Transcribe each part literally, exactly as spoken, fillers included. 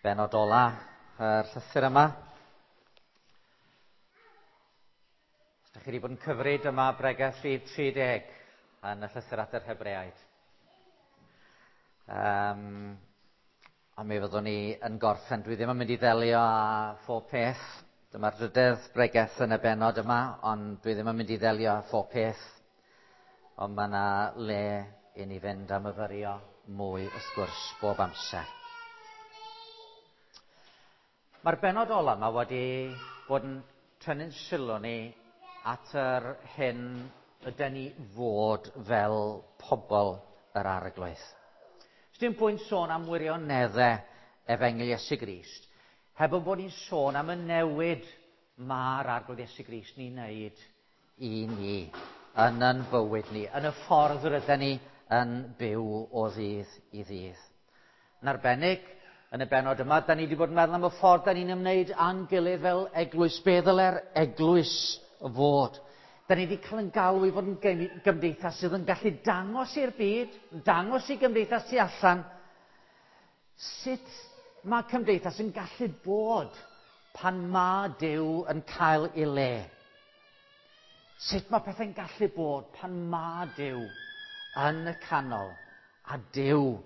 Benod ola yr llythyr yma. Os ydych chi wedi bod yn cyfri, dyma bregeth rhif tri deg yn y llythyr at yr Hebreaid. Um, a mi fyddwn ni yn gorffen. Dwi ddim yn mynd i ddelio â phob peth. Dyma'r drydedd bregeth yn y bennod yma, ond dwi ddim yn mynd i ddelio â phob peth. Ond mae yna le i ni fynd a myfyrio mwy, wrth gwrs, bob amser. Mae'r bennod ola yma wedi bod yn tynnu'n sylw ni at yr hyn yden ni fod fel pobl yr Arglwydd. Sdim pwynt sôn am wirioneddau Efengyl Iesu Grist, heb o bod ni'n sôn am y newid mae'r Arglwydd Iesu Grist ni'n neud i ni, yn yn bywyd ni, yn y ffordd rydyn ni yn byw o ddydd i ddydd. Yn arbennig, yn y bennod yma, da ni wedi bod yn meddwl am y ffordd da ni'n ymwneud â'n gilydd fel eglwys. Be ddyle'r eglwys fod? Da ni wedi cael yn galw i fod yn gymdeithas sydd yn gallu dangos i'r byd, dangos i gymdeithas tu allan, sut mae cymdeithas yn gallu bod pan mae Duw yn cael ei le. Sut mae pethau'n gallu bod pan mae Duw yn y canol a Duw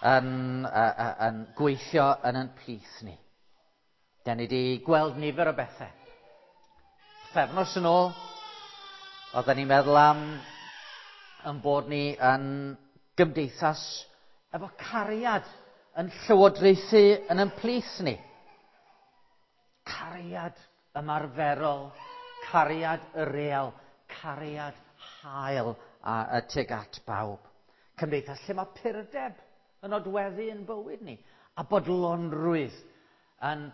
yn, uh, yn gweithio yn yn plith ni. Da ni wedi gweld nifer o bethau. Pythefnos yn ôl, oedden ni'n meddwl am yn bod ni yn gymdeithas efo cariad yn llywodraethu yn yn plith ni. Cariad ymarferol, cariad y real, cariad hael a, a tuag at bawb. Cymdeithas lle mae purdeb yn nodweddu yn bywyd ni, a bodlonrwydd yn,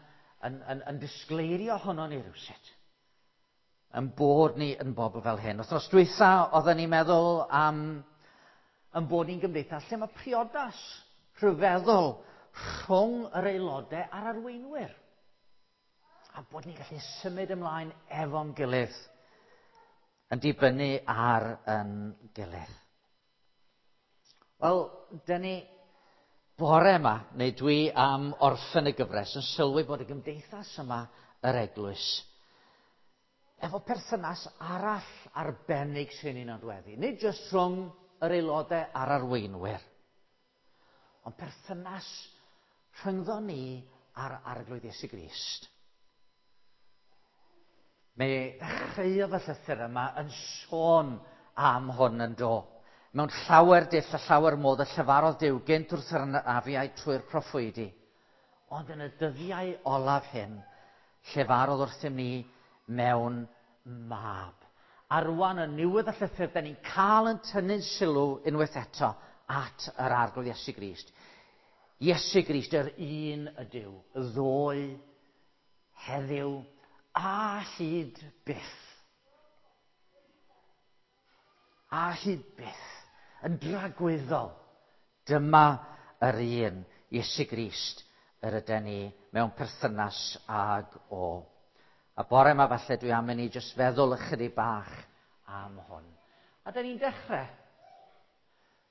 yn, yn, yn disgleirio ohono ni rywsut. Yn bod ni yn bobl fel hyn. Wythnos dwytha, oedden ni'n meddwl am yn bod ni'n gymdeithas lle mae priodas rhyfeddol rhwng yr aelodau a'r arweinwyr. A bod ni'n gallu symud ymlaen efo'n gilydd, yn dibynnu ar yn gilydd. Wel, dyn ni bore yma, neu dwi am orffen y gyfres, yn sylwi bod y gymdeithas yma, yr eglwys, efo perthynas arall arbennig sy'n ei nodweddu. Nid jyst rhwng yr aelodau a'r arweinwyr, ond perthynas rhyngddo ni a'r Arglwydd Iesu Grist. Mi ddechreuodd y llythyr yma yn sôn am hwn yn do. Mewn llawer dull a llawer modd y llefarodd Duw gynt wrth yr anafiaid trwy'r proffwydi. Ond yn y dyddiau olaf hyn, llefarodd wrthym ni mewn mab. A rwan yn niwedd y llythyr, da ni'n cael yn tynnu'n sylw unwaith eto at yr Arglwydd Iesu Grist. Iesu Grist, yr un ydyw, ddoe, heddiw, a hyd byth. A hyd byth, yn dragwyddol. Dyma yr un, Iesu Grist, yr yden ni mewn perthynas ag o. A bore yma falle dwi am i ni jyst feddwl ychydig bach am hwn. A da ni'n dechrau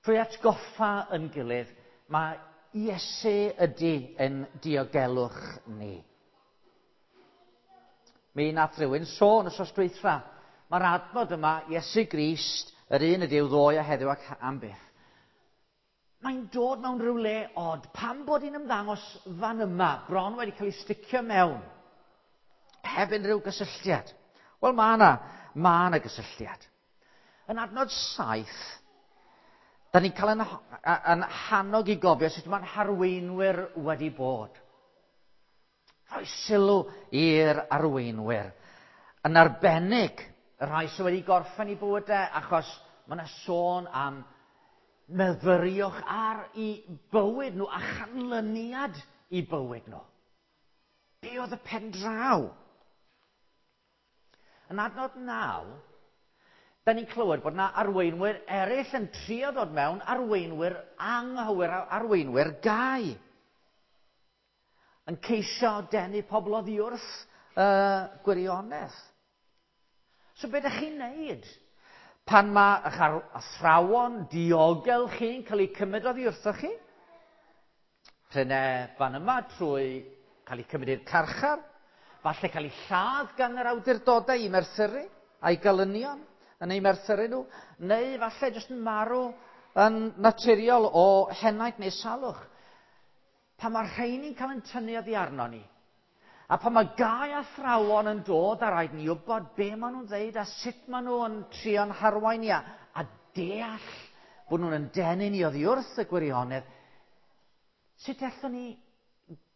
trwy atgoffa yn gilydd, mae Iesu ydy yn diogelwch ni. Mi nath rhywun sôn wythnos dwytha. Mae'r adnod yma, Iesu Grist, yr un ydyw ddoe a heddiw ac am byth. Mae'n dod mewn rhyw le od. Pam bod hi'n ymddangos fan yma, bron wedi cael ei sticio mewn, heb unrhyw gysylltiad? Wel, mae yna, mae yna gysylltiad. Yn adnod saith, da ni'n cael yn, yn hannog i gofio sut mae'n harweinwyr wedi bod. Rhoi sylw i'r arweinwyr. Yn arbennig, y rhai sydd wedi gorffen eu bywydau, achos mae yna sôn am myfyriwch ar eu bywyd nhw a chanlyniad eu bywyd nhw. Be oedd y pen draw? Yn adnod naw, da ni'n clywed bod yna arweinwyr eraill yn trio dod mewn, arweinwyr anghywir, arweinwyr gau. Yn ceisio denu pobl oddi wrth uh, gwirionedd. So be ydych chi'n neud pan mae eich athrawon diogel chi'n cael eu cymryd oddi wrthoch chi? Rhene fan yma trwy cael eu cymryd i'r carchar, falle cael eu lladd gan yr awdurdodau i merthyru a'i galynion yn eu merthyru nhw, neu falle jyst yn marw yn naturiol o henaint neu salwch. Pan mae'r rheini'n cael yn tynnu oddi arno ni, a pan mae gau athrawon yn dod a rhaid ni wybod be maen nhw'n ddeud a sut maen nhw'n trio'n harwain ni a, a deall bod nhw'n yn denu ni oddi wrth y gwirionedd, sut allwn ni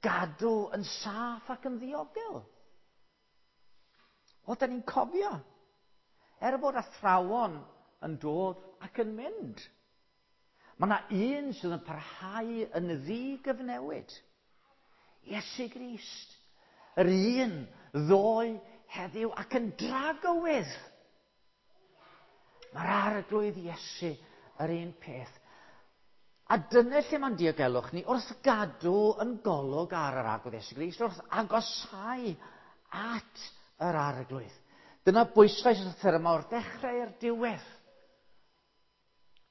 gadw yn saff ac yn ddiogel? O, da ni'n cofio. Er bod athrawon yn dod ac yn mynd, mae yna un sydd yn parhau yn ddigyfnewid. Iesu Grist. Yr un ddoe, heddiw ac yn dragywydd. Mae'r Arglwydd Iesu yr un peth. A dyna lle mae'n diogelwch ni wrth gadw yn golwg ar yr Arglwydd Iesu Grist, wrth agosau at yr Arglwydd. Dyna bwyslais y llythyr yma o'r dechrau i'r diwedd.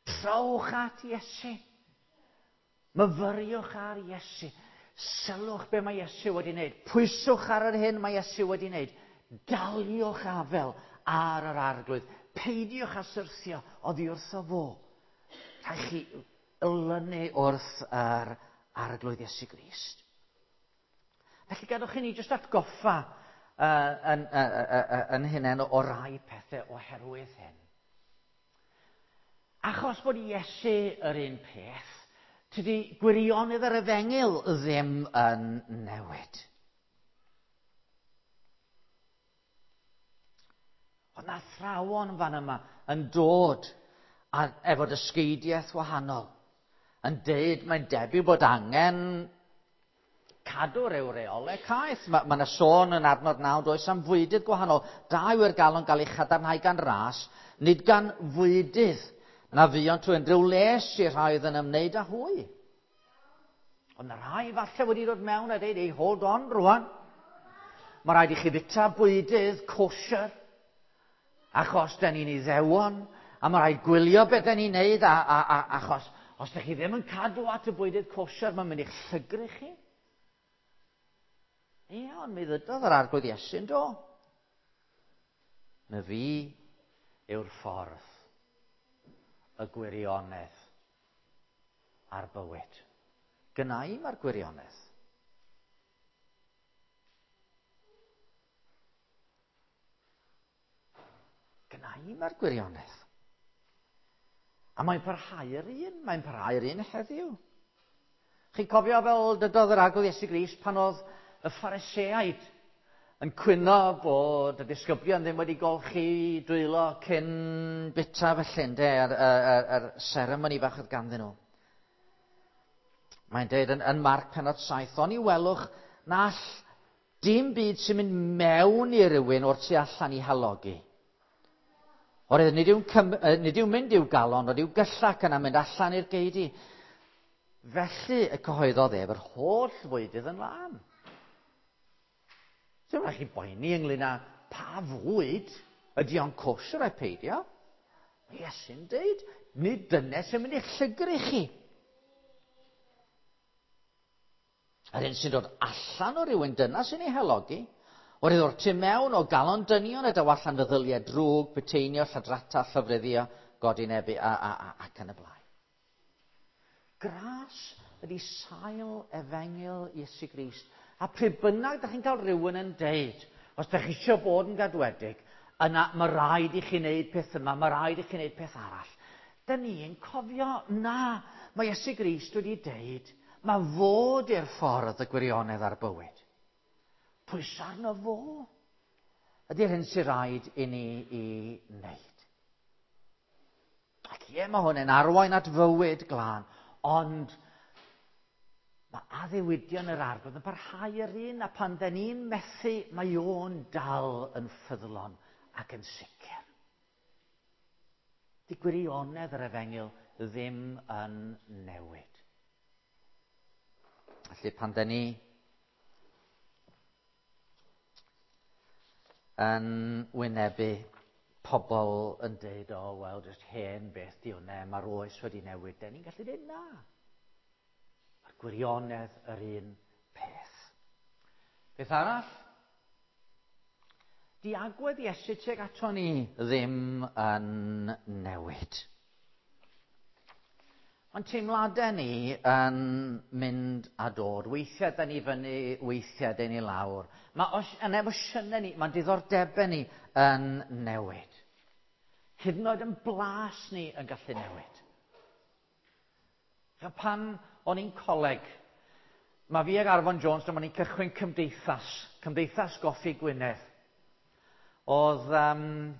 Trowch at Iesu. Myfyriwch ar Iesu. Sylwch be mae Iesu wedi wneud. Pwyswch ar yr hyn mae Iesu wedi wneud. Daliwch afel ar yr Arglwydd. Peidiwch â syrthio oddi wrtho fo. Rhaid chi lynu wrth yr Arglwydd Iesu Grist. Felly gadwch i ni jyst atgoffa uh, yn, uh, uh, uh, yn hunain o rai pethau oherwydd hyn. Achos bod Iesu yr un peth, tydi gwirionedd yr efengyl ddim yn newid. Ond athrawon fan yma yn dod a, efo dysgeidiaeth wahanol, yn deud mae'n debyg bod angen cadw ryw reolau caeth. Mae ma yna sôn yn adnod naw does am fwydydd gwahanol. Da yw'r galon gael ei chadarnhau gan ras, nid gan fwydydd na fuont trwy unrhyw les i'r rhai oedd yn ymwneud â hwy. Ond na rhai falle wedi dod mewn a dweud, ei hold on rwan. Mae rhaid i chi fita bwydydd kosher, achos da ni'n Iddewon, a mae rhaid gwylio beth da ni'n neud, a, a, a, achos os da chi ddim yn cadw at y bwydydd kosher, mae'n mynd i'ch llygru chi. Ie, ond mi ddydodd yr Arglwydd Iesu'n do. Na fi yw'r ffordd, y gwirionedd a'r bywyd. Gynna i mae'r gwirionedd. Gynna i mae'r gwirionedd. A mae'n parhau yr un, mae'n parhau yr un heddiw. Chi'n cofio fel dydodd yr Arglwydd Iesu Grist pan oedd y Phariseaid yn cwyno bod y disgyblion ddim wedi golchi dwylo cyn bita felly, ynde, yr, yr, yr seremoni bach oedd ganddyn nhw. Mae'n dweud yn, yn Marc pennod saith, oni welwch na all dim byd sy'n mynd mewn i rywun o'r tu allan i halogi. Oherwydd nid yw'n, cym, nid yw'n mynd i'w galon, ond i'w gyllach yna mynd allan i'r geidi. Felly y cyhoeddodd ef yr holl fwydydd yn lân. Ddim rhaid chi boeni ynglyn â pa fwyd ydy o'n kosher ai peidio. Mae Iesu'n deud, nid dyna sy'n mynd i'ch llygru chi. Yr un sy'n dod allan o rywun dyna sy'n ei halogi, oherwydd o'r tu mewn o galon dynion y daw allan feddyliau drwg, puteinio, lladrata, llofruddio, godinebu a, a, a, ac yn y blaen. Gras ydy sail efengyl Iesu Grist. A pryd bynnag da chi'n cael rhywun yn deud, os da chi eisiau bod yn gadwedig, yna mae rhaid i chi wneud peth yma, mae rhaid i chi wneud peth arall. Da ni'n cofio, na, mae Iesu Grist wedi deud, mae fod i'r ffordd y gwirionedd a'r bywyd. Pwysa arno fo ydy'r hyn sy'n rhaid i ni i wneud. Ac ie, mae hwn yn arwain at fywyd glân, ond mae addewidion yr Arglwydd yn parhau yr un, a pan da ni'n methu, mae o'n dal yn ffyddlon ac yn sicr. Di gwirionedd yr efengyl ddim yn newid. Felly pan da ni yn wynebu pobl yn deud, o, oh, wel, jyst hen beth di hwnna, mae'r oes wedi newid, da ni'n gallu dweud na. Mae'r Gwirionedd yr un peth. Beth arall? Di agwedd Iesu tuag ato ni ddim yn newid. Mae'n teimladau ni yn mynd a dod. Weithiau da ni fyny, weithiau da ni lawr. Mae os, yn emosiynau ni, mae'n diddordebau ni yn newid. Hyd yn oed yn blas ni yn gallu newid. Pan o'n i'n coleg, mae fi ag Arfon Jones, dyma ni'n cychwyn cymdeithas, Cymdeithas Goffi Gwynedd. Oedd, um,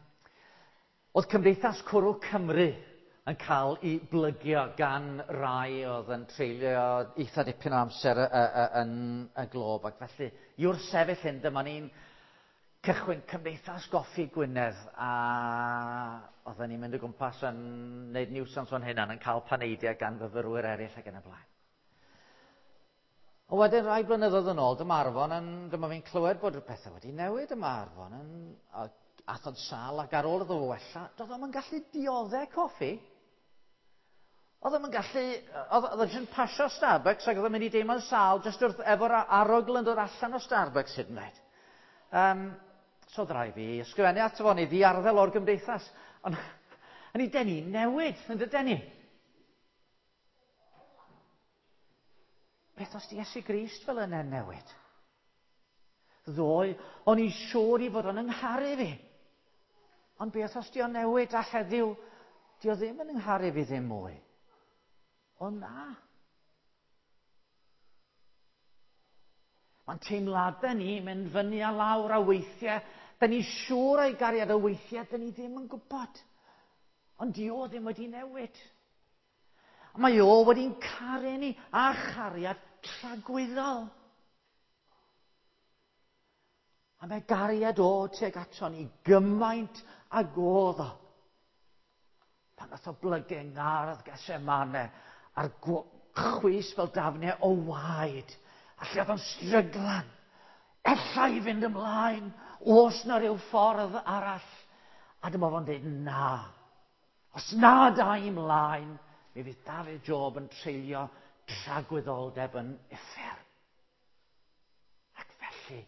oedd Cymdeithas Cwrw Cymru yn cael ei blygio gan rai oedd yn treulio eitha dipyn o amser yn y glob. Ac felly, yw'r sefyll hyn, dyma ni'n cychwyn Cymdeithas Goffi Gwynedd, a oedden ni'n mynd o gwmpas yn gwneud niwsans o'n hynna, yn cael paneidiau gan fyfyrwyr eraill ac yn y blaen. O wedyn rai blynyddoedd yn ôl, dyma Arfon yn, dyma fi'n clywed bod pethau wedi newid, dyma Arfon yn, ath o'n sâl ac ar ôl iddo fo wella, doedd o'm yn gallu dioddau coffi. Oedd o'm yn gallu, oedd oedd o'n pasio Starbucks ac oedd o'n mynd i deimlo'n sâl jyst wrth efo'r arogl yn dod allan o Starbucks hyd yn oed. Um, so oedd rhaid fi ysgrifennu ato fo, neu ddiarddel o'r gymdeithas. Ond yn ei denu newid, yn dydyn ni. Beth os di Iesu Grist fel yna newid? Ddoe, o'n i'n siŵr i fod o'n yngharu fi. Ond beth os di o'n newid a heddiw, di o ddim yn yngharu fi ddim mwy. O na. Mae'n teimladau ni mynd fyny a lawr a weithiau. Da ni'n siŵr o'i gariad a weithiau, da ni ddim yn gwybod. Ond di o ddim wedi newid. A mae o wedi'n caru ni a chariad tragwyddol. A mae gariad o tuag ato ni gymaint ag oedd o. Pan nath o blygu yng ngardd Gethsemane a'r chwys fel dafnau o waed. A lle oedd o'n stryglan. Ella i fynd ymlaen, oes na ryw ffordd arall. A dyma fo'n dweud na. Os na da i ymlaen, mi fydd Dafydd Job yn treulio tragwyddoldeb yn uffern. Ac felly,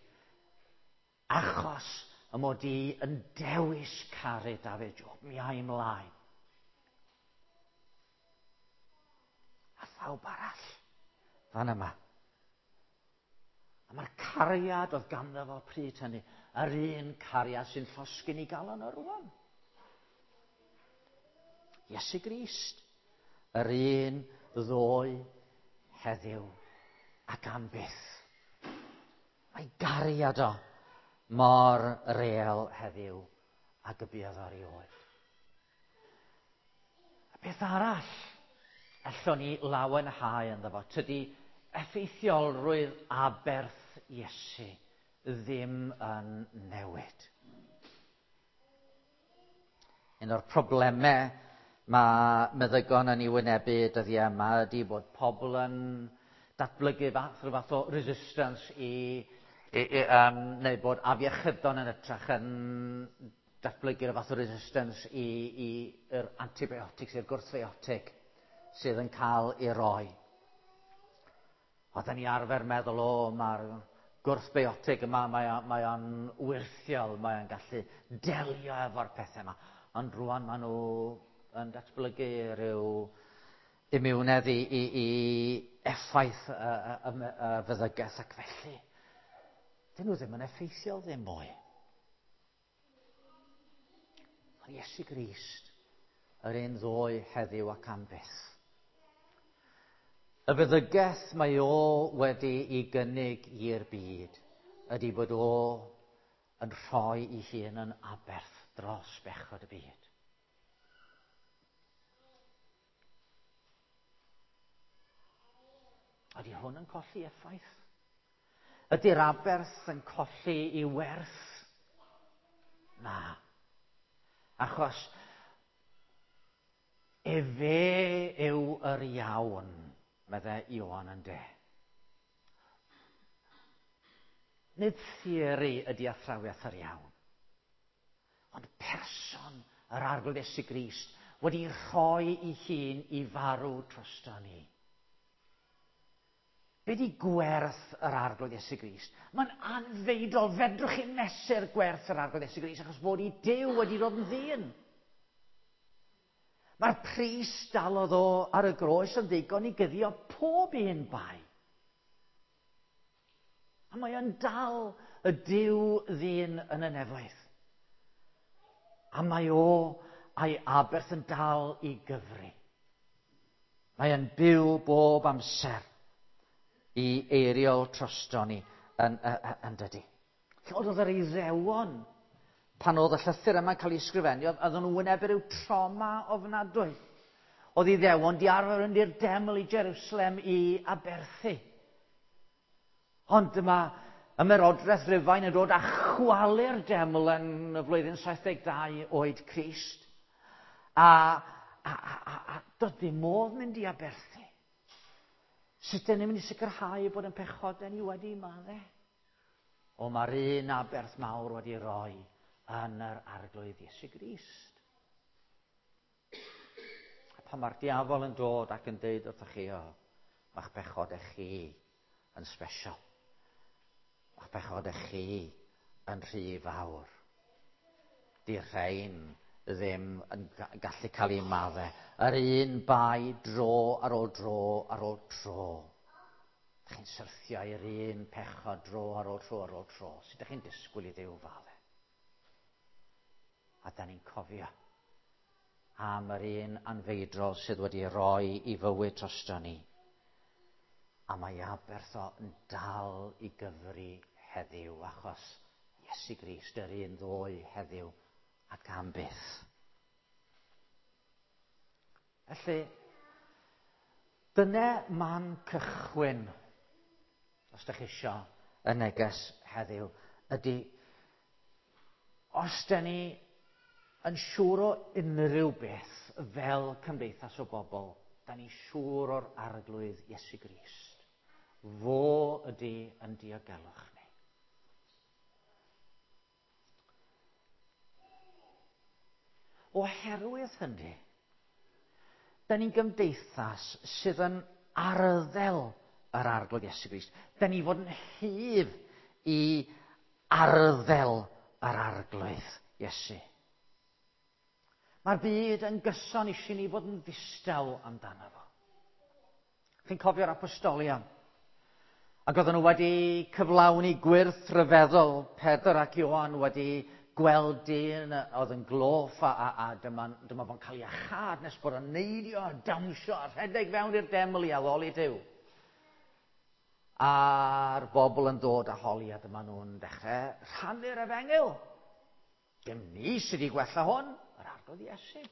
achos y mod i yn dewis caru Dafydd Job, mi ai ymlaen. A phawb arall fan yma. A mae'r cariad oedd ganddo fo pryd hynny, yr un cariad sy'n llosgi'n ei galon o rwan. Iesu Grist, yr un ddoe, heddiw ac am byth. Mae gariad o mor real heddiw ag y buodd o erioed. A beth arall allwn ni lawenhau ynddo fo, tydi effeithiolrwydd aberth Iesu ddim yn newid. Un o'r problemau mae meddygon yn ei wynebu dyddiau yma ydy bod pobl yn datblygu fath, rhyw fath o resistance i, i, i um, neu bod afiechydon yn ytrach yn datblygu rhyw fath o resistance i, i yr antibiotics, i'r gwrthfiotig sydd yn cael ei roi. Oedden ni arfer meddwl, o, mae'r gwrthbiotig yma, mae, mae o'n wyrthiol, mae o'n gallu delio efo'r pethau yma. Ond rwan maen nhw yn datblygu rhyw imiwnedd i, i, i effaith y, y, y, y feddygaeth ac felly. Dyn nhw ddim yn effeithiol ddim mwy. Ond Iesu Grist, yr un ddoe heddiw ac am byth. Y feddygaeth mae o wedi ei gynnig i'r byd ydy bod o yn rhoi ei hun yn aberth dros bechod y byd. Ydy hwn yn colli effaith? Ydy'r aberth yn colli ei werth? Na. Achos efe yw yr iawn, meddai Ioan yn de. Nid theori ydy athrawiaeth yr iawn, ond person yr Arglwydd Iesu Grist wedi rhoi ei hun i farw drosto ni. Be di gwerth yr Arglwydd Iesu Grist? Mae'n anfeidrol. Fedrwch chi mesur gwerth yr Arglwydd Iesu Grist achos bod i Duw wedi dod yn ddyn. Mae'r pris dalodd o ar y groes yn ddigon i guddio pob un bai. A mae o'n dal y Duw ddyn yn y nefoedd. A mae o a'i aberth yn dal i gyfri. Mae o'n byw bob amser i eiriol drosto ni yn, yn, yn dydy. Oedd yr Iddewon, pan oedd y llythyr yma'n cael ei ysgrifennu, oedden nhw wynebu rhyw trauma ofnadwy. Oedd Iddewon di arfer mynd i'r deml i Jerusalem i aberthu. Ond dyma ymerodraeth Rufain yn dod a chwalu'r deml yn y flwyddyn saith deg dau oed Crist. A, a, a, a, a doedd ddim modd mynd i aberthu. Sut dyn ni'n mynd i sicrhau bod yn pechodau ni wedi maddau? O, mae'r un aberth mawr wedi roi yn yr Arglwydd Iesu Grist. A pan mae'r diafol yn dod ac yn deud wrthych chi, o, mae'ch pechodau chi yn special. Mae'ch pechodau chi yn rhy fawr. Di'r rhain ddim yn gallu cael ei maddau. Yr un bai dro ar ôl dro ar ôl tro. Dych chi'n syrthio i'r un pechod dro ar ôl tro ar ôl tro. Sut ydych chi'n disgwyl i Dduw faddau? A da ni'n cofio am yr un anfeidrol sydd wedi roi i fywyd drosto ni. A mae aberth o yn dal i gyfri heddiw, achos Iesu Grist yr un ddoe heddiw ac am byth. Felly, dyna man cychwyn, os ydych chi isio y neges heddiw, ydy, os da ni yn siŵr o unrhyw beth fel cymdeithas o bobl, da ni siŵr o'r Arglwydd Iesu Grist. Fo ydy yn diogelwch ni. Oherwydd hynny, da ni'n gymdeithas sydd yn arddel yr Arglwydd Iesu Grist. Da ni fod yn hyf i arddel yr Arglwydd Iesu. Mae'r byd yn gyson eisiau ni fod yn ddistaw amdano fo. Chi'n cofio'r apostolion? Ac oedden nhw wedi cyflawni gwyrth rhyfeddol. Pedr ac Ioan wedi gweld dyn oedd yn gloff a, a, a dyma, dyma fo'n cael ei achad nes bod o'n neidio a dawnsio a rhedeg fewn i'r deml i addoli Duw. A'r bobl yn dod a holi a dyma nhw'n dechrau rhannu'r efengyl. Dim ni sydd wedi gwella hwn, yr Arglwydd Iesu.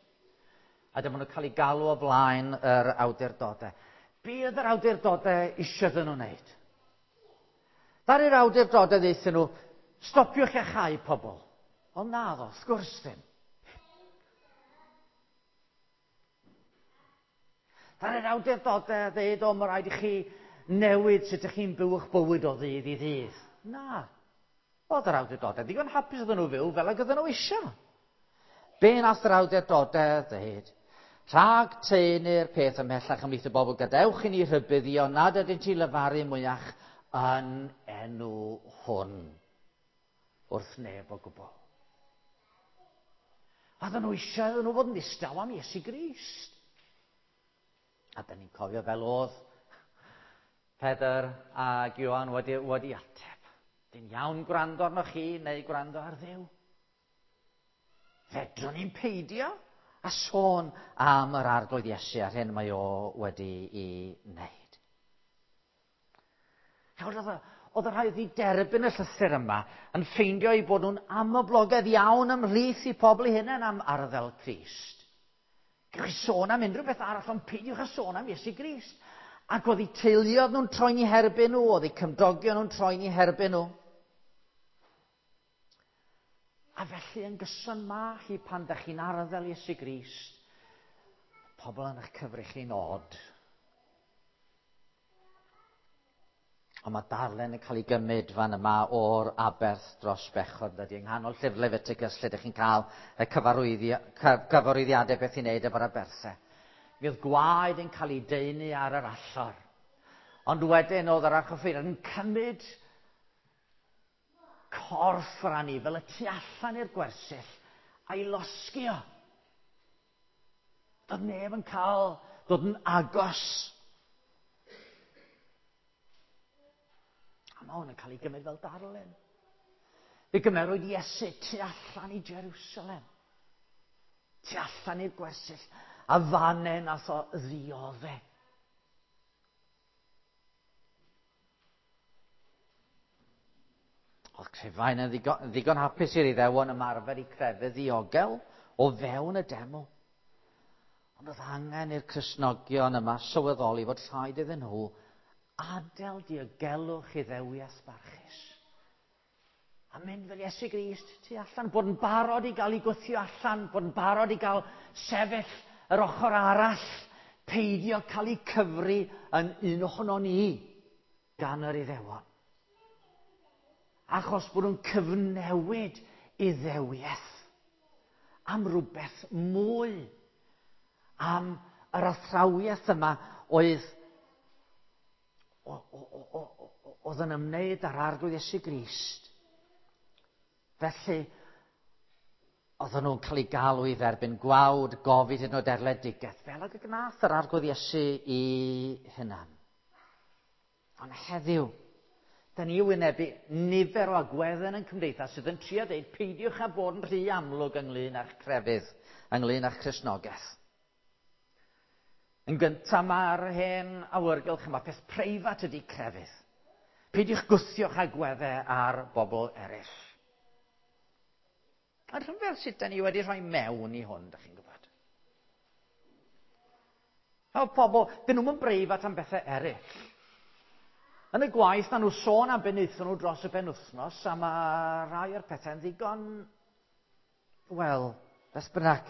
A dyma nhw'n cael ei galw o flaen yr awdurdodau. Be oedd yr awdurdodau eisiau iddyn nhw wneud? Ddaru'r awdurdodau ddeutha nhw, stopiwch iachau pobl. Ond na ddo, wrth gwrs ddim. Ddaru'r awdurdodau ddeud, o, mae rhaid i chi newid sut ydych chi'n byw eich bywyd o ddydd i ddydd. Na. Oedd yr awdurdodau ddigon hapus oedden nhw fyw fel ag oedden nhw eisiau. Be nath yr awdurdodau ddeud? Rhag taenu'r peth ymhellach ymhlith y bobl, gadewch i ni rhybuddio nad ydynt i lefaru mwyach yn enw hwn wrth neb o gwbl. Oedden nhw eisiau iddyn nhw fod yn ddistaw am Iesu Grist. A da ni'n cofio fel oedd Pedr ac Ioan wedi, wedi ateb. Dyn iawn gwrando arnoch chi neu gwrando ar Dduw. Fedrwn ni'n peidio a sôn am yr Arglwydd Iesu a'r hyn mae o wedi ei wneud. Oedd y rhai wedi derbyn y llythyr yma yn ffeindio eu bod nhw'n amhoblogaidd iawn ymhlith i pobl eu hunain am arddel Crist. Gewch chi sôn am unrhyw beth arall, ond peidiwch â sôn am Iesu Grist. Ac oedd eu teuluoedd nhw'n troi'n eu herbyn nhw, oedd eu cymdogion nhw'n troi'n eu herbyn nhw. A felly yn gyson ma hi pan da chi'n arddel Iesu Grist, pobl yn eich cyfri chi'n od. Ond mae darllen yn cael ei gymryd fan yma o'r aberth dros bechod, dydy, yng nghanol llyfr Leviticus, lle ydych chi'n cael y cyfarwyddiadau beth i wneud efo'r aberthau. Mi oedd gwaed yn cael ei daenu ar yr allor. Ond wedyn oedd yr archoffeiriad yn cymryd corff yr anifel y tu allan i'r gwersyll a'i losgi o. Doedd neb yn cael dod yn agos. A mae hwn yn cael ei gymryd fel darlun. Fe gymerwyd Iesu tu allan i Jerusalem. Tu allan i'r gwersyll. A fanne nath o ddiodde. Oedd Crefain yn ddigon, ddigon hapus i'r Iddewon ymarfer i crefydd ddiogel o fewn y deml. Ond oedd angen i'r Cristnogion yma sylweddoli fod rhaid iddyn nhw adael diogelwch Iddewiaeth barchus. A mynd fel Iesu Grist tu allan, bod yn barod i gael ei gwthio allan, bod yn barod i gael sefyll yr ochr arall, peidio cael ei cyfri yn un ohono ni gan yr Iddewon. Achos bod nhw'n cyfnewid Iddewiaeth am rhywbeth mwy, am yr athrawiaeth yma oedd, oedd yn ymwneud â'r Arglwydd Iesu Grist. Felly, oedden nhw'n cael eu galw i dderbyn gwawd, gofid hyd yn oed erledigaeth, fel ag y gnath yr Arglwydd Iesu i hunan. Ond heddiw, da ni wynebu nifer o agweddau yn cymdeithas sydd yn trio deud peidiwch â bod yn rhy amlwg ynglyn â'ch crefydd, ynglyn â'ch Cristnogaeth. Yn gyntaf mae'r hen awyrgylch yma, peth preifat ydy crefydd. Peidiwch gwthio'ch agweddau ar bobl eraill. A rhyfedd sut da ni wedi rhoi mewn i hwn, da chi'n gwybod. O pobl, dyn nhw'n breifat am bethau eraill. Yn y gwaith, maen nhw sôn am be wnaethon nhw dros y penwythnos, a mae rhai o'r pethau'n ddigon, wel, beth bynnag.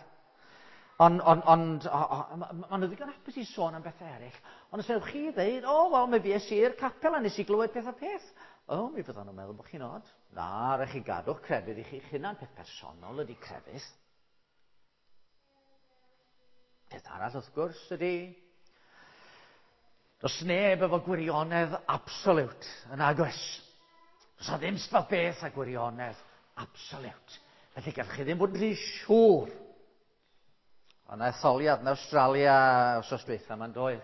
Ond, ond, ond, maen nhw ddigon hapus i sôn am bethau eraill. Ond os ewch chi ddeud, o, wel, mi fues i i'r capel a nes i glywed peth a peth. O, mi fyddan nhw'n meddwl bod chi'n od. Na, rhaid chi gadw'ch crefydd i chi'ch hunan. Peth personol ydy crefydd. Peth arall, wrth gwrs, ydy does neb efo gwirionedd absolute yn agos. Does na ddim sbeth beth â gwirionedd absolute. Felly gallwch chi ddim bod yn rhy siŵr. Ond etholiad yn Awstralia wsos dwytha ma'n doedd.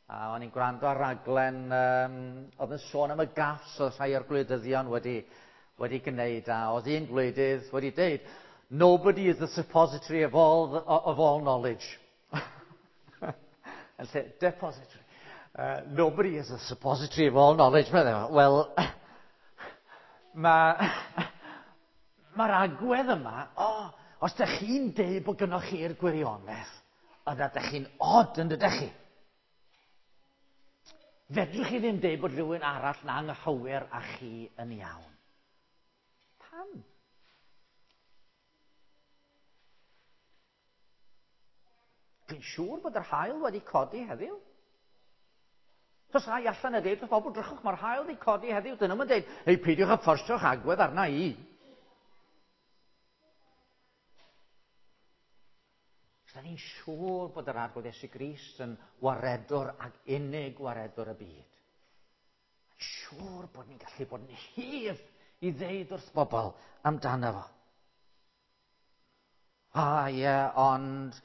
A o'n i'n gwrando ar raglen um, oedd yn sôn am y gaffs oedd rhai o'r gwleidyddion wedi, wedi gwneud. A oedd un gwleidydd wedi deud, nobody is the suppository of all, the, of all knowledge. Yn lle, depository. Uh, nobody is the suppository of all knowledge. Wel, mae'r ma agwedd yma, o, oh, os ydych chi'n deud bod gynnoch chi'r gwirionedd, yna ydych chi'n od yn dydych chi. Fedrwch chi ddim deud bod rhywun arall na anghywir a chi yn iawn. Pam? Dwi'n siŵr bod yr haul wedi codi heddiw. Os ai allan a deud wrth bobl, drychwch, mae'r haul wedi codi heddiw. Dyn nhw'n deud, hei, peidiwch â fforsio'ch agwedd arna i. Da ni'n siŵr bod yr Arglwydd Iesu Grist yn waredwr ac unig waredwr y byd. Siŵr bod ni'n gallu bod yn hyf i ddeud wrth bobl amdano fo. A ie, yeah, ond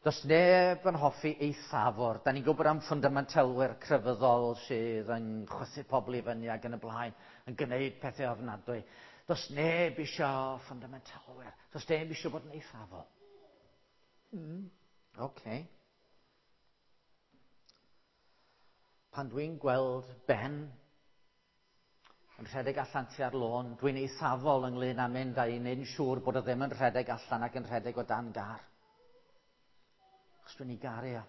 does neb yn hoffi eithafwr. Da ni'n gwybod am ffwndamentalwyr crefyddol sydd yn chwythu pobl i fyny ac yn y blaen, yn gwneud pethau ofnadwy. Does neb eisiau ffwndamentalwyr. Does neb eisiau bod yn eithafol. Mm. Okay. Pan dwi'n gweld Ben yn rhedeg allan tua'r lôn, dwi'n eithafol ynglyn â mynd a i wneud yn siŵr bod o ddim yn rhedeg allan ac yn rhedeg o dan gar. Achos dwi'n ei garu o.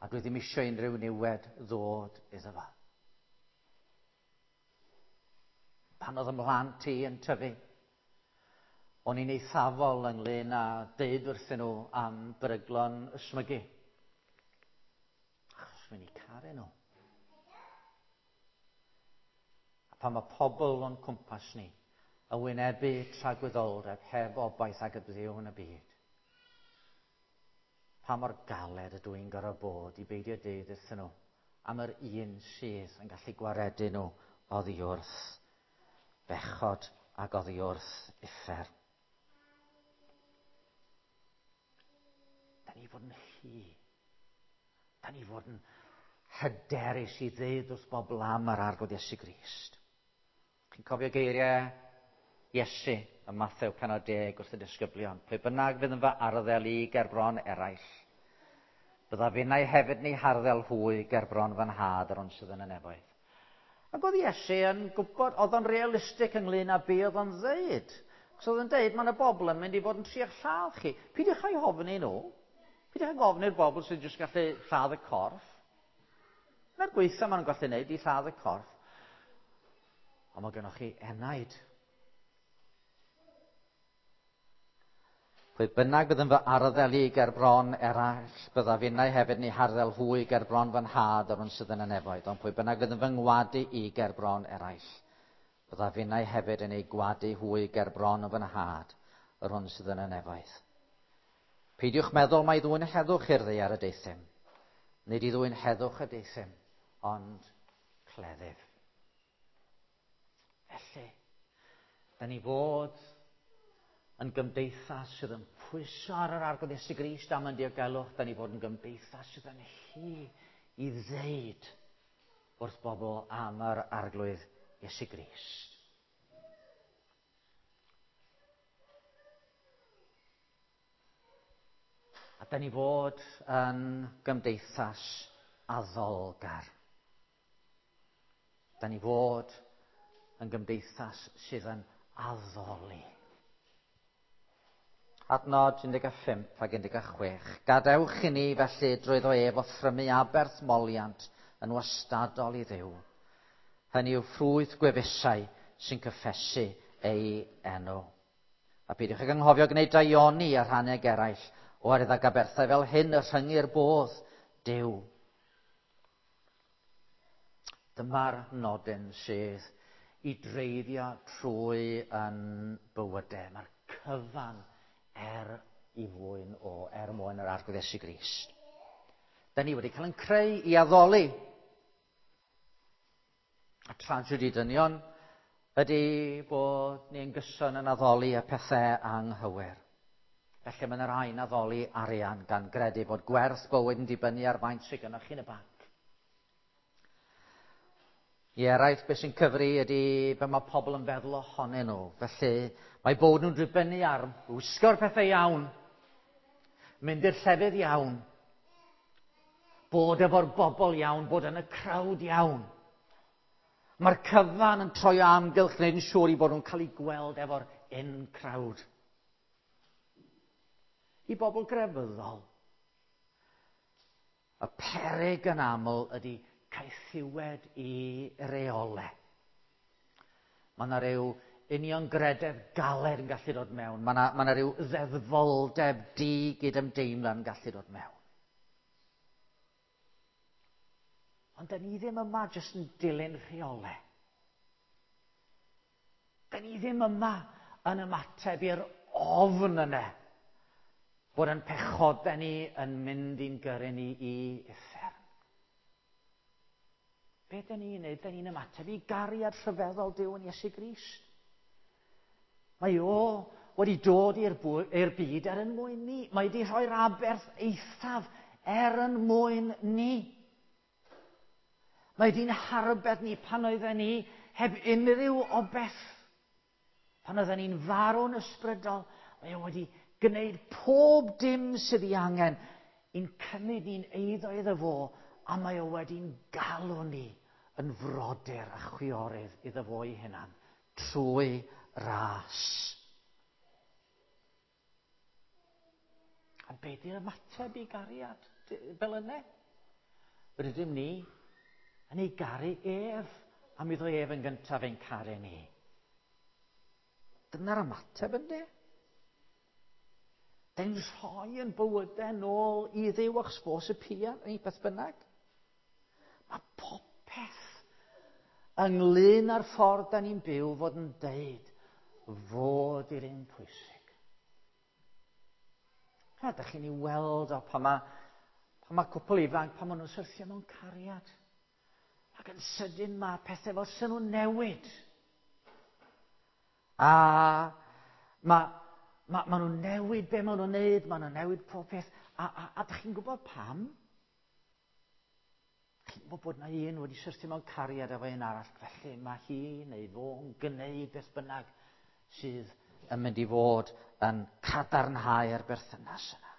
A dwi ddim eisiau unrhyw niwed ddod iddo fo. Pan oedd ymhlant i yn tyfu, o'n i'n eithafol ynglyn â deud wrthyn nhw am beryglon ysmygu. Achos dwi'n eu caru nhw. A pan mae pobl o'n cwmpas ni yn wynebu tragwyddoldeb heb obaith ag y byw yn y byd, pa mor galed ydw i'n gorfod bod i beidio deud wrthyn nhw am yr un sydd yn gallu gwaredu nhw oddi wrth bechod ac oddi wrth uffern. Da ni fod yn hy. Da ni fod yn hyderus i ddeud wrth bobl am yr Arglwydd Iesu Grist. Chi'n cofio geiriau Iesu ym Mathew pennod deg wrth y disgyblion? Pwy bynnag fydd yn fy arddel i gerbron eraill, byddaf finnau hefyd yn eu harddel hwy gerbron fy nhad yr hwn sydd yn y nefoedd. Ac oedd Iesu yn gwybod, oedd o'n realistig ynglyn â be oedd o'n ddeud. Cos oedd o'n deud, mae yna bobl yn mynd i fod yn trio lladd chi. Peidiwch â'u hofni nhw. Peidiwch ag ofni'r bobl sy'n jyst gallu lladd y corff. Na'r gweitha maen nhw'n gallu gwneud i lladd y corff. Ond mae gennych chi enaid. Pwy bynnag bydd yn fy arddel i gerbron eraill, byddaf finnau hefyd yn eu harddel hwy gerbron fy nhad yr hwn sydd yn y nefoedd. Ond pwy bynnag fydd yn fy ngwadu i gerbron eraill, byddaf finnau hefyd yn eu gwadu hwy gerbron fy nhad yr hwn sydd yn y nefoedd. Peidiwch meddwl mai ddwyn heddwch i'r ddaear y deuthum. Nid i ddwyn heddwch y deuthum, ond cleddyf. Felly, da ni fod yn gymdeithas sydd yn pwyso ar yr Arglwydd Iesu Grist am yn diogelwch, da ni fod yn gymdeithas sydd yn hy i ddeud wrth bobl am yr Arglwydd Iesu Grist. A da ni fod yn gymdeithas addolgar. Da ni fod yn gymdeithas sydd yn addoli. Adnod un deg pump ac un deg chwech. Gadewch i ni felly drwyddo ef offrymu aberth moliant yn wastadol i Dduw. Hynny yw ffrwyth gwefusau sy'n cyffesu ei enw. A peidiwch ag anghofio gwneud daioni a rhannu ag eraill, oherwydd ag aberthau fel hyn y rhyngir bodd Duw. Dyma'r nodyn sydd i dreiddio trwy yn bywydau. Mae'r cyfan er i fwyn o, er mwyn yr Arglwydd Iesu Grist. Da ni wedi cael ein creu i addoli. A tragedy dynion ydy bod ni'n gyson yn addoli y pethau anghywir. Felly mae yna rhai'n addoli arian gan gredu bod gwerth bywyd yn dibynnu ar faint sydd gennych chi yn y banc. I eraill, beth sy'n cyfri ydy be mae pobl yn feddwl ohonyn nhw. Felly mae bod nhw'n dibynnu ar wisgo'r pethau iawn, mynd i'r llefydd iawn, bod efo'r bobl iawn, bod yn y crowd iawn. Mae'r cyfan yn troi o amgylch, gwneud yn siŵr i bod nhw'n cael eu gweld efo'r in crowd. I bobl grefyddol, y peryg yn aml ydy caethiwed i reolau. Mae yna ryw uniongrededd galed yn gallu dod mewn. Mae yna, mae yna ryw ddeddfoldeb di-gydymdeimlad yn gallu dod mewn. Ond da ni ddim yma jyst yn dilyn rheolau. Da ni ddim yma yn ymateb i'r ofn yna bod yn pechodau ni yn mynd i'n gyrru ni i uffern. Be da ni'n neud? Da ni'n ymateb i gariad rhyfeddol Duw yn Iesu Grist. Mae o wedi dod i'r byd er yn mwyn ni. Mae wedi rhoi'r aberth eithaf er yn mwyn ni. Mae wedi'n harbed ni pan oedden ni heb unrhyw obeth. Pan oedden ni'n farw'n ysbrydol, mae o wedi gwneud pob dim sydd ei angen i'n cymryd ni'n eiddo iddo fo, a mae o wedi'n galw ni yn frodyr a chwiorydd iddo fo ei hunan, trwy ras. A be di'r ymateb i gariad fel yna? Rydym ni yn ei garu ef, am iddo ef yn gyntaf ein caru ni. Dyna'r ymateb ynddi? Dyn rhoi yn bywydau nôl i Dduw achos fo sy'n pia, neu beth bynnag. Mae popeth ynglyn â'r ffordd da ni'n byw fod yn deud fod i'r un pwysig. A da chi'n ei weld o pan mae, pan mae cwpl ifanc, pan maen nhw'n syrthio mewn cariad. Ac yn sydyn mae pethau fel sy'n nhw'n newid. A mae ma, ma nhw'n newid be maen nhw'n neud, maen nhw'n newid pob peth. A, a, a dych chi'n gwybod pam? Chi'n gwybod bod na un wedi syrthio mewn cariad efo un arall, felly mae hi neu fo'n gwneud beth bynnag sydd yn mynd i fod yn cadarnhau'r berthynas yna.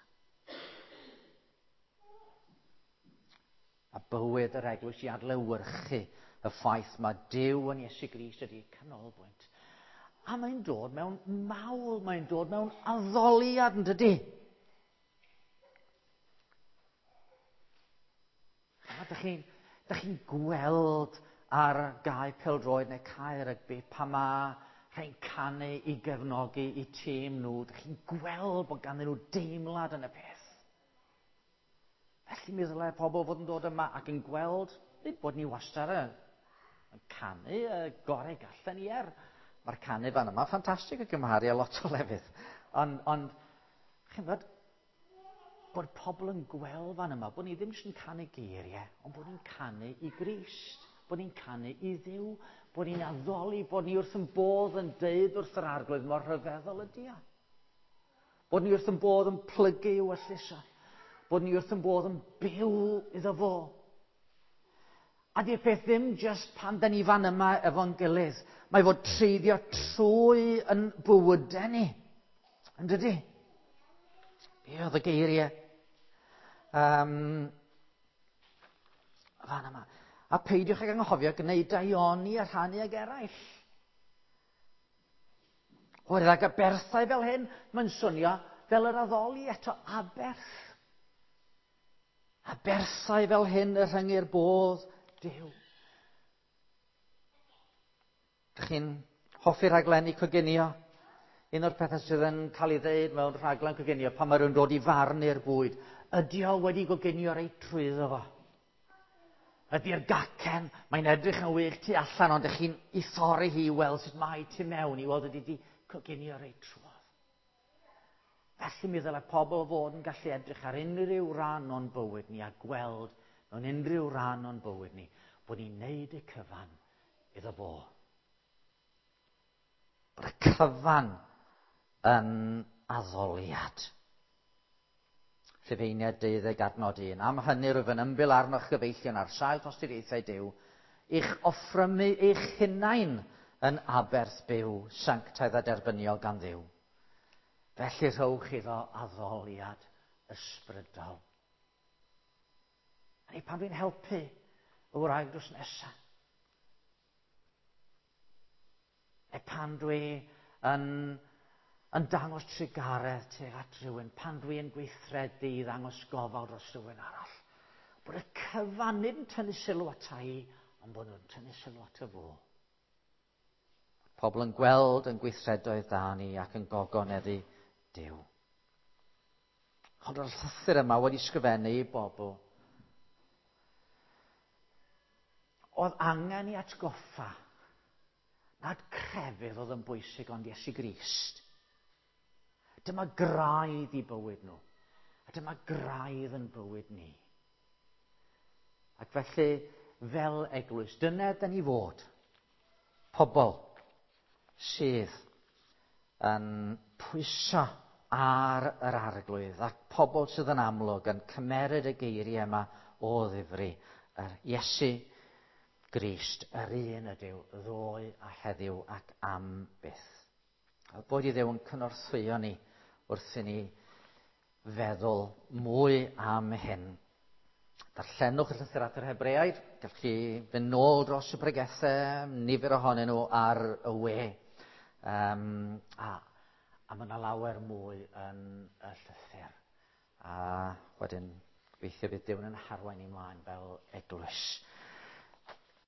A bywyd yr eglwys i adlewyrchu y ffaith mae Duw yn Iesu Grist ydy canolbwynt. A mae'n dod mewn mawl, mae'n dod mewn addoliad, yn dydy? A dych chi'n chi gweld ar gae pêl-droed neu cae rygbi pan mae rhai'n canu i gefnogi i tîm nhw, dych chi'n gweld bod ganddyn nhw deimlad yn y peth. Felly mi ddylai pobl fod yn dod yma ac yn gweld, nid bod ni wastad yn, yn canu y gorau gallen ni er. Mae'r canu fan yma ffantastig o gymharu â lot o lefydd. Ond, ond chi'n gwybod, bod pobl yn gweld fan yma, bod ni ddim jyst yn canu geiriau, ond bod ni'n canu i Grist, bod ni'n canu i Dduw, bod ni'n addoli, bod ni wrth yn bodd yn deud wrth yr Arglwydd mor rhyfeddol ydy o. Bod ni wrth yn bodd yn plygu i'w ewyllys o. Bod ni wrth yn bodd yn byw iddo fo. A di'r peth ddim jyst pan da ni fan yma efo'n gilydd. Mae fod treiddio trwy yn bywydau ni. Yn dydy? Be oedd y geiriau? Um, fan yma. A peidiwch ag anghofio gwneud daioni a rhannu ag eraill. Oherwydd ag aberthau fel hyn, mae'n swnio fel yr addoli eto aberth. Aberthau fel hyn y rhyngir bodd Duw. Dych chi'n hoffi rhaglenni coginio? Un o'r pethau sydd yn cael ei ddeud mewn rhaglen coginio pan mae rhywun dod i farnu'r bwyd, ydy o wedi goginio reit trwyddo fo? Ydy'r gacen, mae'n edrych yn wych tu allan, ond ydych chi'n ei thorri hi i weld sut mae tu mewn, i weld ydy wedi coginio reit trwodd. Felly mi ddylai pobl fod yn gallu edrych ar unrhyw ran o'n bywyd ni a gweld mewn unrhyw ran o'n bywyd ni bod ni'n neud y cyfan iddo fo. Bod y cyfan yn addoliad. Rhufeiniaid deuddeg adnod un. Am hynny rwyf yn ymbil arnoch gyfeillion ar sail tosturiaethau Duw, i'ch offrymu eich hunain yn aberth byw, sanctaidd a derbyniol gan Dduw. Felly rhowch iddo addoliad ysbrydol. A ni pan dwi'n helpu y wraig drws nesaf. Neu pan dwi yn, yn dangos trugaredd tuag at rhywun, pan dwi yn gweithredu i ddangos gofal dros rhywun arall. Bod y cyfan nid yn tynnu sylw ata i, ond bod nhw'n tynnu sylw ato fo. Pobl yn gweld yn gweithredoedd da ni ac yn gogoneddu Duw. Ond o'r llythyr yma wedi sgrifennu i bobl oedd angen i atgoffa nad crefydd oedd yn bwysig ond Iesu Grist. Dyma graidd i bywyd nhw. A dyma graidd yn bywyd ni. Ac felly, fel eglwys, dyna dyn ni fod. Pobl sydd yn pwyso ar yr Arglwydd ac pobl sydd yn amlwg yn cymeryd y geiriau yma o ddifri. Yr Iesu Grist, yr un ydyw, ddoe a heddiw ac am byth. A bod i Dduw yn cynorthwyo ni wrth i ni feddwl mwy am hyn. Darllenwch y llythyr at yr Hebreaid, gallwch chi fynd nôl dros y pregethau, nifer ohonyn nhw ar y we. Um, a, a mae yna lawer mwy yn y llythyr. A wedyn, gobeithio bydd Duw yn harwain ni mlaen fel eglwys.